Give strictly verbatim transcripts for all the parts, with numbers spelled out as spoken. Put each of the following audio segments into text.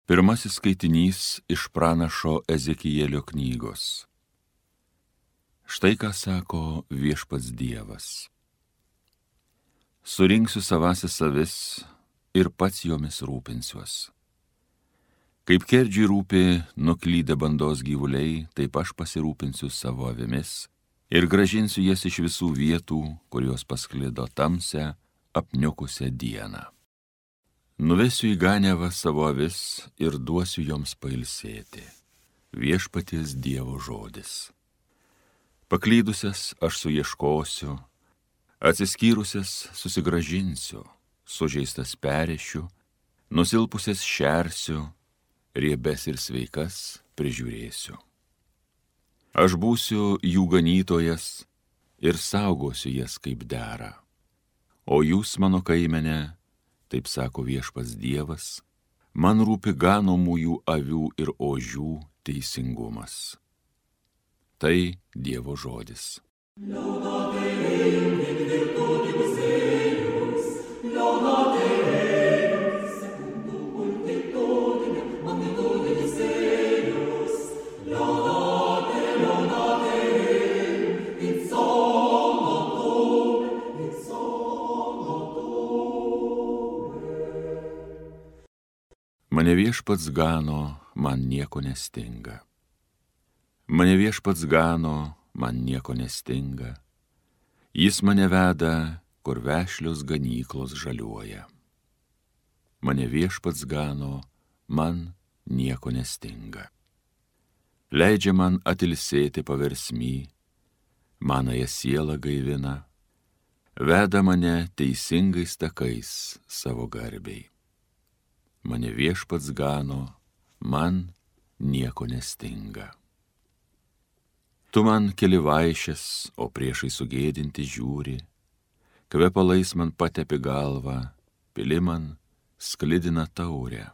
Pirmasis skaitinys iš pranašo Ezekielio knygos. Štai ką sako viešpats Dievas. Surinksiu savąsias avis ir pats jomis rūpinsiuos. Kaip kerdžiui rūpi nuklydę bandos gyvuliai, taip aš pasirūpinsiu savo avimis ir grąžinsiu jas iš visų vietų, kurios pasklido tamsią, apniukusią dieną. Nuvesiu į ganiavą savo avis ir duosiu joms pailsėti. Viešpaties Dievo žodis. Paklydusias aš suieškosiu, atsiskyrusias susigrąžinsiu, sužeistas perėšiu, nusilpusias šersiu, riebes ir sveikas prižiūrėsiu. Aš būsiu jų ganytojas ir saugosiu jas kaip dera. O jūs, mano kaimene, taip sako viešpats Dievas, man rūpi ganomųjų avių ir ožių teisingumas. Tai Dievo žodis. Mane viešpats gano, man nieko nestinga. Mane viešpats gano, man nieko nestinga. Jis mane veda, kur vešlios ganyklos žaliuoja. Mane viešpats gano, man nieko nestinga. Leidžia man atilsėti paversmy, manąją sielą gaivina, veda mane teisingais takais savo garbei. Mane viešpats gano, man nieko nestinga. Tu man keli vaišes, o priešai sugėdinti žiūri, kvepalais man patepi galvą, pili man sklidina taurę.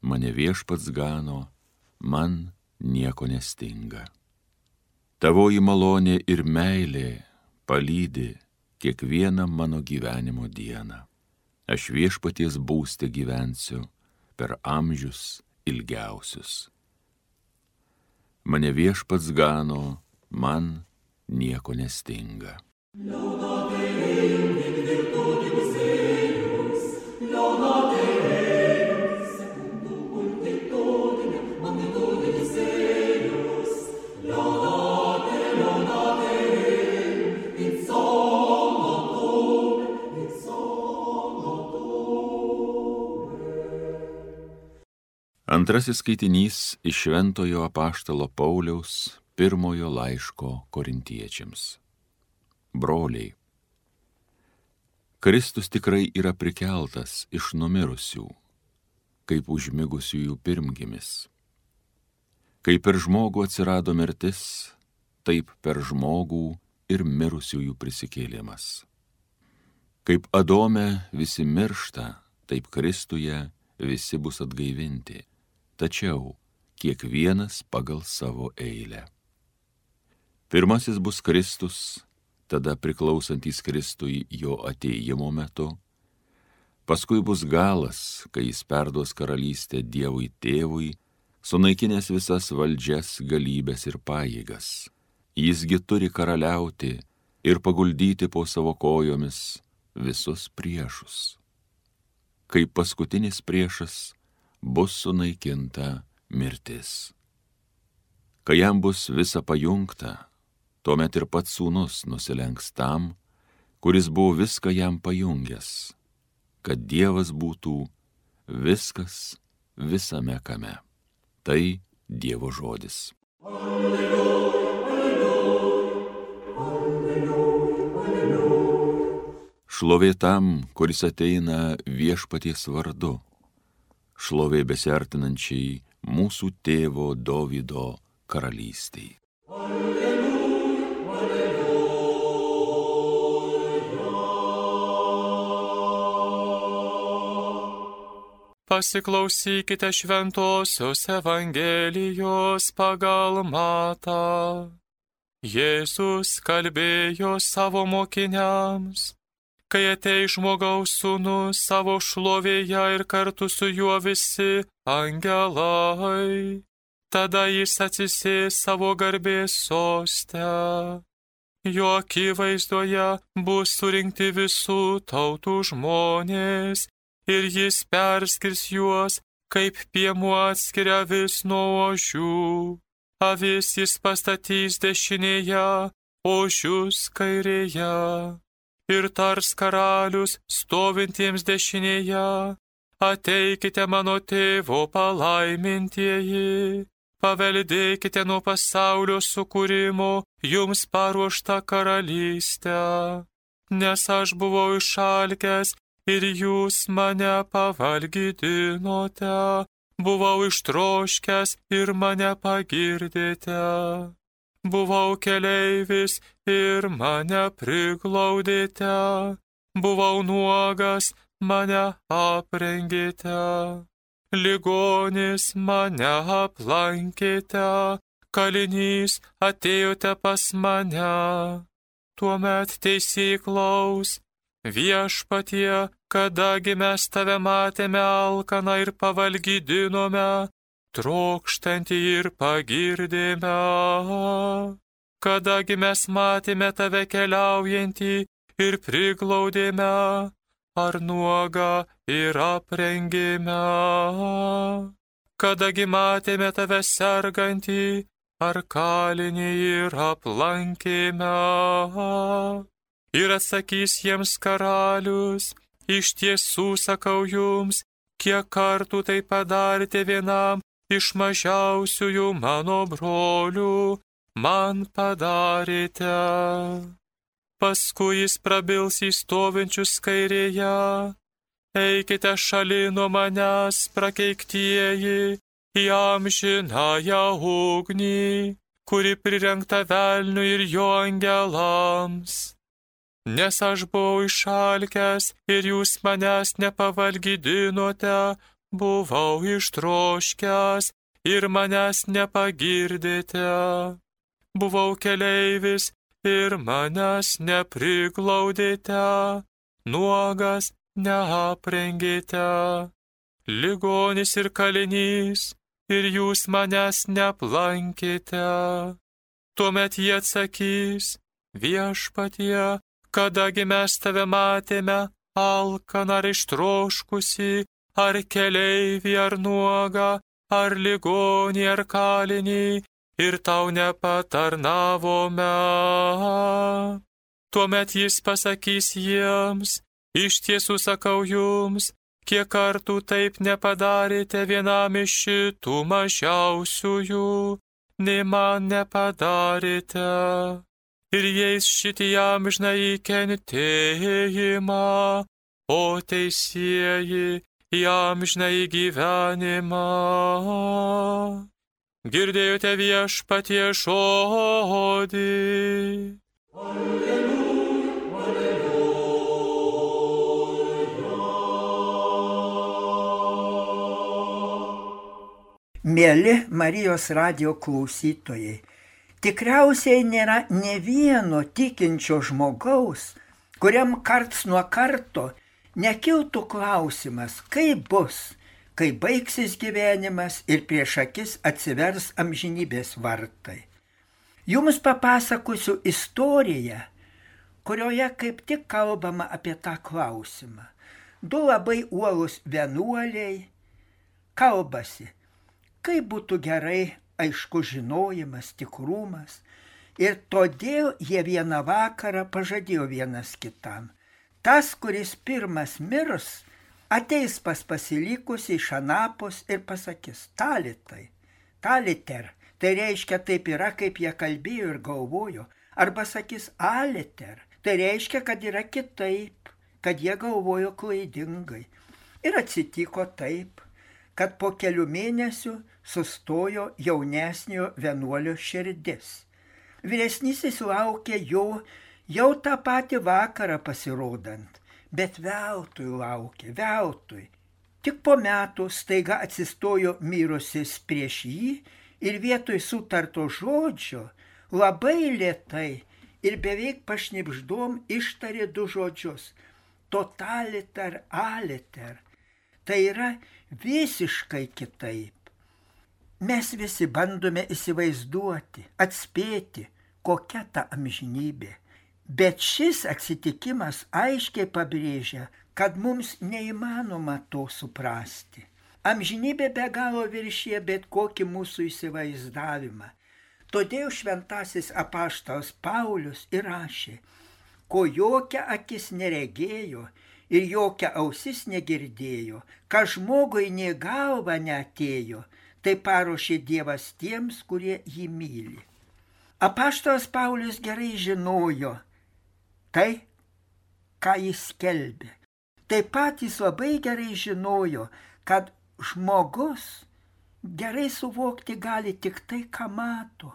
Mane viešpats gano, man nieko nestinga. Tavoji malonė ir meilė palydi kiekvieną mano gyvenimo dieną. Aš viešpaties būste gyvensiu per amžius ilgiausius. Mane viešpats gano, man nieko nestinga. Antrasis skaitinys iš šventojo apaštalo Pauliaus pirmojo laiško korintiečiams. Broliai, Kristus tikrai yra prikeltas iš numirusių, kaip užmigusiųjų pirmgimis. Kaip per žmogų atsirado mirtis, taip per žmogų ir mirusiųjų prisikėlimas. Kaip Adome visi miršta, taip Kristuje visi bus atgaivinti. Tačiau kiekvienas pagal savo eilę. Pirmasis bus Kristus, tada priklausantys Kristui jo atėjimo metu. Paskui bus galas, kai jis perduos karalystę Dievui Tėvui, sunaikinęs visas valdžias, galybės ir pajėgas. Jisgi turi karaliauti ir paguldyti po savo kojomis visus priešus. Kaip paskutinis priešas, bus sunaikinta mirtis. Kai jam bus visa pajungta, tuomet ir pats sūnus nusilenks tam, kuris buvo viską jam pajungęs, kad Dievas būtų viskas visame kame. Tai Dievo žodis. Alleluja, alleluja, alleluja. Šlovė tam, kuris ateina viešpaties vardu. Šlovė besiartinančiai mūsų tėvo Dovydo karalystei. Alleluja, alleluja. Pasiklausykite šventosios Evangelijos pagal Matą. Jėzus kalbėjo savo mokiniams: kai ateis žmogaus sūnus savo šlovėje ir kartu su juo visi angelai. Tada jis atsisės savo garbės soste. Jo akivaizdoje bus surinkti visų tautų žmonės ir jis perskirs juos, kaip piemuo atskiria vis nuo ožių. Avis jis pastatys dešinėje, ožius kairėje. Ir tars karalius stovintiems dešinėje: ateikite mano tėvo palaimintieji, paveldėkite nuo pasaulio sukūrimo jums paruoštą karalystę. Nes aš buvau išalkęs ir jūs mane pavalgydinote, buvau ištroškęs ir mane pagirdėte. Buvau keleivis ir mane priglaudėte, buvau nuogas, mane aprengėte, ligonis mane aplankėte, kalinys atėjote pas mane. Tuomet teisėjai klaus: viešpatie, kadagi mes tave matėme alkaną ir pavalgydinome, trokštantį ir pagirdėme? Kadagi mes matėme tave keliaujantį ir priglaudėme, ar nuogą ir aprengėme? Kadagi matėme tave sergantį, ar kalinį ir aplankėme? Ir atsakys jiems karalius: iš tiesų sakau jums, kiek kartų tai padarėte vienam iš mažiausiųjų mano brolių, man padarėte. Paskui jis prabils į stovinčius kairėje: eikite šalin nuo manęs, prakeiktieji, į amžinąją ugnį, kuri prirengta velniui ir jo angelams. Nes aš buvau išalkęs ir jūs manęs nepavalgydinote, buvau ištroškęs ir manęs nepagirdėte, buvau keleivis ir manęs nepriglaudėte, nuogas neaprengėte, ligonis ir kalinys ir jūs manęs neaplankėte. Tuomet jie atsakys: viešpatie, kadagi mes tave matėme alkaną ar ištroškusį, ar keleivį, ar nuogą, ar ligonį, ar kalinį, ir tau nepatarnavome. Tuomet jis pasakys jiems: iš tiesų sakau jums, kiek kartų taip nepadarėte vienam iš šitų mažiausiųjų, nei man nepadarėte. Ir jais šitį amžinąjį kentėjimą, o teisieji į amžinąjį gyvenimą. Girdėjote viešpatie žodį. Alleluja, alleluja. Mieli Marijos radijo klausytojai, tikriausiai nėra ne vieno tikinčio žmogaus, kuriam karts nuo karto nekiltų klausimas, kaip bus, kai baigsis gyvenimas ir prieš akis atsivers amžinybės vartai. Jums papasakosiu istoriją, kurioje kaip tik kalbama apie tą klausimą. Du labai uolūs vienuoliai kalbasi, kaip būtų gerai aiškus žinojimas, tikrumas, ir todėl jie vieną vakarą pažadėjo vienas kitam: tas, kuris pirmas mirs, ateis pas pasilikusį iš anapus ir pasakys: talitai, taliter, tai reiškia taip yra, kaip jie kalbėjo ir galvojo, arba sakys aliter, tai reiškia, kad yra kitaip, kad jie galvojo klaidingai. Ir atsitiko taip, kad po kelių mėnesių sustojo jaunesnio vienuolio širdis. Vyresnysis laukė jo jau tą patį vakarą pasirodant, bet veltui laukė, veltui. Tik po metų staiga atsistojo mirusis prieš jį ir vietoj sutarto žodžio labai lėtai ir beveik pašnibždom ištarė du žodžius: totaliter aliter. Tai yra visiškai kitaip. Mes visi bandome įsivaizduoti, atspėti, kokia ta amžinybė. Bet šis atsitikimas aiškiai pabrėžia, kad mums neįmanoma to suprasti. Amžinybė be galo viršyje bet kokį mūsų įsivaizdavimą. Todėl šventasis apaštalas Paulius ir rašė, ko jokia akis neregėjo ir jokia ausis negirdėjo, ką žmogui nė galva neatėjo, tai paruošė Dievas tiems, kurie jį myli. Apaštalas Paulius gerai žinojo tai, ką jis skelbė. Taip pat jis labai gerai žinojo, kad žmogus gerai suvokti gali tik tai, ką mato,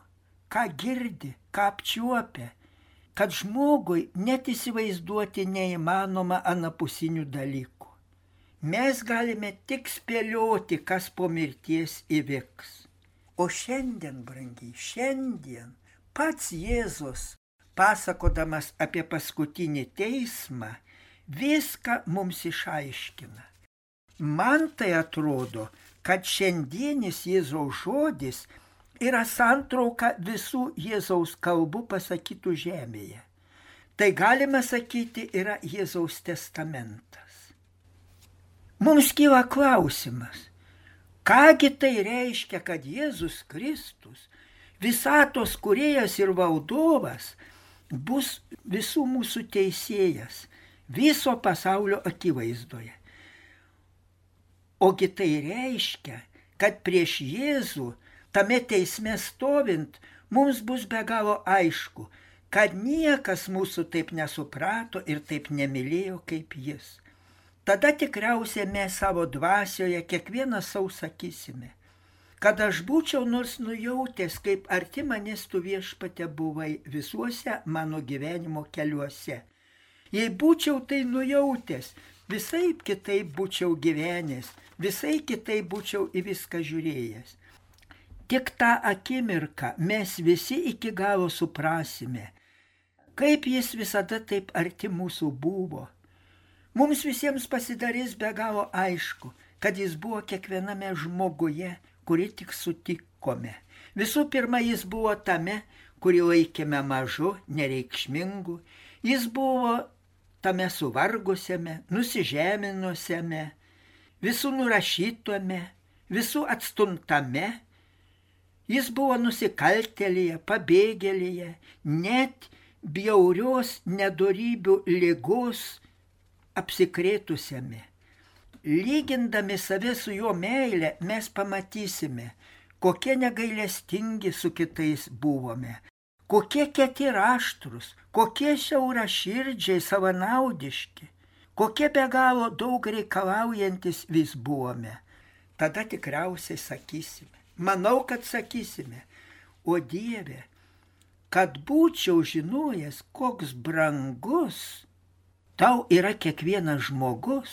ką girdi, ką apčiuopia, kad žmogui net įsivaizduoti neįmanoma anapusinių dalykų. Mes galime tik spėlioti, kas po mirties įvyks. O šiandien, brangiai, šiandien pats Jėzus, pasakodamas apie paskutinį teismą, viską mums išaiškina. Man tai atrodo, kad šiandienis Jėzaus žodis yra santrauka visų Jėzaus kalbų pasakytų žemėje. Tai galima sakyti yra Jėzaus testamentas. Mums kyla klausimas, kągi tai reiškia, kad Jėzus Kristus, visatos kūrėjas ir valdovas, bus visų mūsų teisėjas, viso pasaulio akivaizdoje. Ogi tai reiškia, kad prieš Jėzų, tame teisme stovint, mums bus be galo aišku, kad niekas mūsų taip nesuprato ir taip nemylėjo kaip jis. Tada tikriausiai mes savo dvasioje kiekvienas sau sakysime, kad aš būčiau nors nujautęs, kaip arti manęs tu Viešpatie buvai visuose mano gyvenimo keliuose. Jei būčiau tai nujautęs, visai kitaip būčiau gyvenęs, visai kitaip būčiau į viską žiūrėjęs. Tik tą akimirką mes visi iki galo suprasime, kaip jis visada taip arti mūsų buvo. Mums visiems pasidarys be galo aišku, kad jis buvo kiekviename žmoguje, kurį tik sutikome. Visų pirma, jis buvo tame, kurį laikėme mažu, nereikšmingu. Jis buvo tame suvargusiame, nusižeminusiame, visų nurašytume, visų atstumtame. Jis buvo nusikaltėlėje, pabėgėlėje, net bjaurios nedorybių ligos apsikrėtusiame. Lygindami save su jo meile, mes pamatysime, kokie negailestingi su kitais buvome, kokie kieti raštrus, kokie siauraširdžiai savanaudiški, kokie be galo daug reikalaujantis vis buvome. Tada tikriausiai sakysime, manau, kad sakysime, o Dieve, kad būčiau žinojęs, koks brangus tau yra kiekvienas žmogus,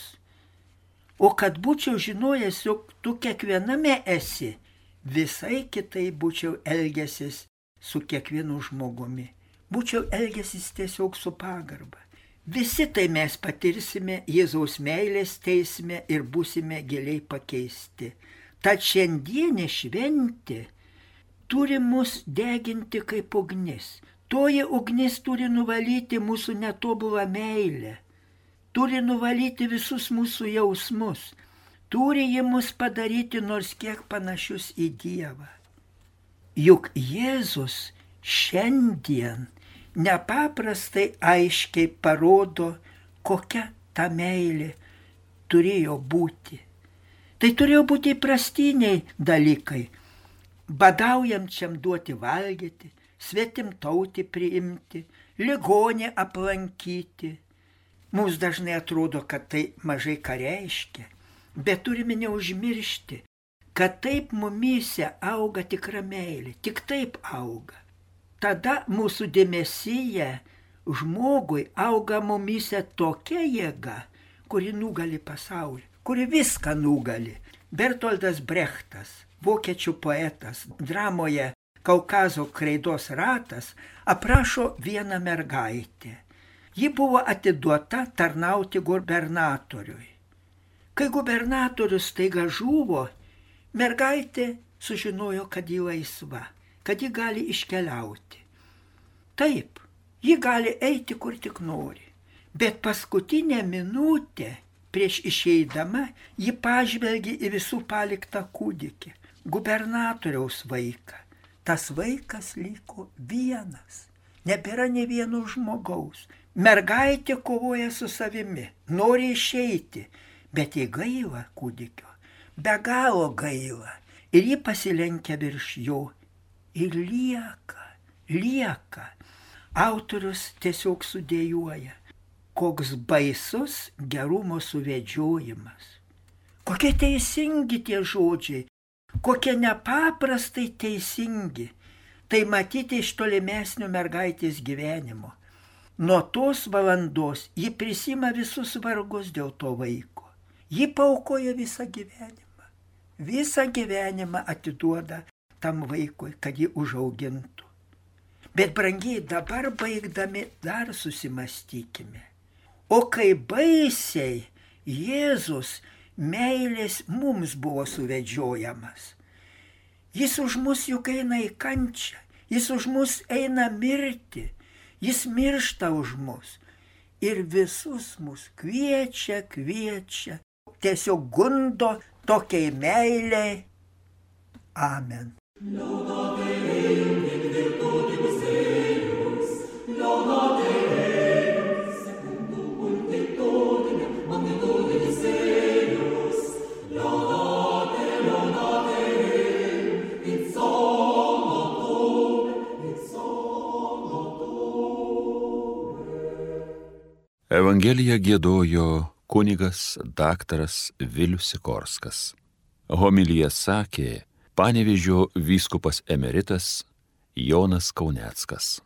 o kad būčiau žinojęs, jog tu kiekviename esi, visai kitai būčiau elgęsis su kiekvienu žmogumi. Būčiau elgęsis tiesiog su pagarba. Visi tai mes patirsime Jėzaus meilės teisme ir būsime giliai pakeisti. Tad šiandienė šventė turi mus deginti kaip ugnis. Toji ugnis turi nuvalyti mūsų netobulą meilę, turi nuvalyti visus mūsų jausmus, turi ji mus padaryti nors kiek panašius į Dievą. Juk Jėzus šiandien nepaprastai aiškiai parodo, kokia ta meilė turėjo būti. Tai turėjo būti įprastiniai dalykai, badaujančiam duoti valgyti, svetimtautį priimti, ligonį aplankyti. Mums dažnai atrodo, kad tai mažai ką reiškia, bet turime neužmiršti, kad taip mumyse auga tikra meilė, tik taip auga. Tada mūsų dėmesyje žmogui auga mumyse tokia jėga, kuri nugali pasaulį, kuri viską nugali. Bertoldas Brechtas, vokiečių poetas, dramoje Kaukazo kreidos ratas aprašo vieną mergaitę. Ji buvo atiduota tarnauti gubernatoriui. Kai gubernatorius taiga žuvo, mergaitė sužinojo, kad ji laisva, kad ji gali iškeliauti. Taip, ji gali eiti kur tik nori, bet paskutinę minutę prieš išeidama ji pažvelgė į visų paliktą kūdikį, gubernatoriaus vaiką. Tas vaikas liko vienas, nebėra nė vieno žmogaus. Mergaitė kovoja su savimi, nori išeiti, bet jai gaila kūdikio, be galo gaila. Ir ji pasilenkia virš jo ir lieka, lieka. Autorius tiesiog sudėjuoja, koks baisus gerumo suvedžiojimas. Kokie teisingi tie žodžiai, kokie nepaprastai teisingi. Tai matyti iš tolimesnio mergaitės gyvenimo. Nuo tos valandos ji prisima visus vargus dėl to vaiko. Ji paaukoja visą gyvenimą. Visą gyvenimą atiduoda tam vaikui, kad jį užaugintų. Bet brangiai, dabar baigdami dar susimastykime. O kai baisiai Jėzus meilės mums buvo suvedžiojamas. Jis už mus juk eina į kančią, jis už mus eina mirti, jis miršta už mus. Ir visus mus kviečia, kviečia, tiesiog gundo tokiai meiliai. Amen. Evangeliją giedojo kunigas daktaras Vilius Sikorskas. Homiliją sakė Panevėžio vyskupas emeritas Jonas Kauneckas.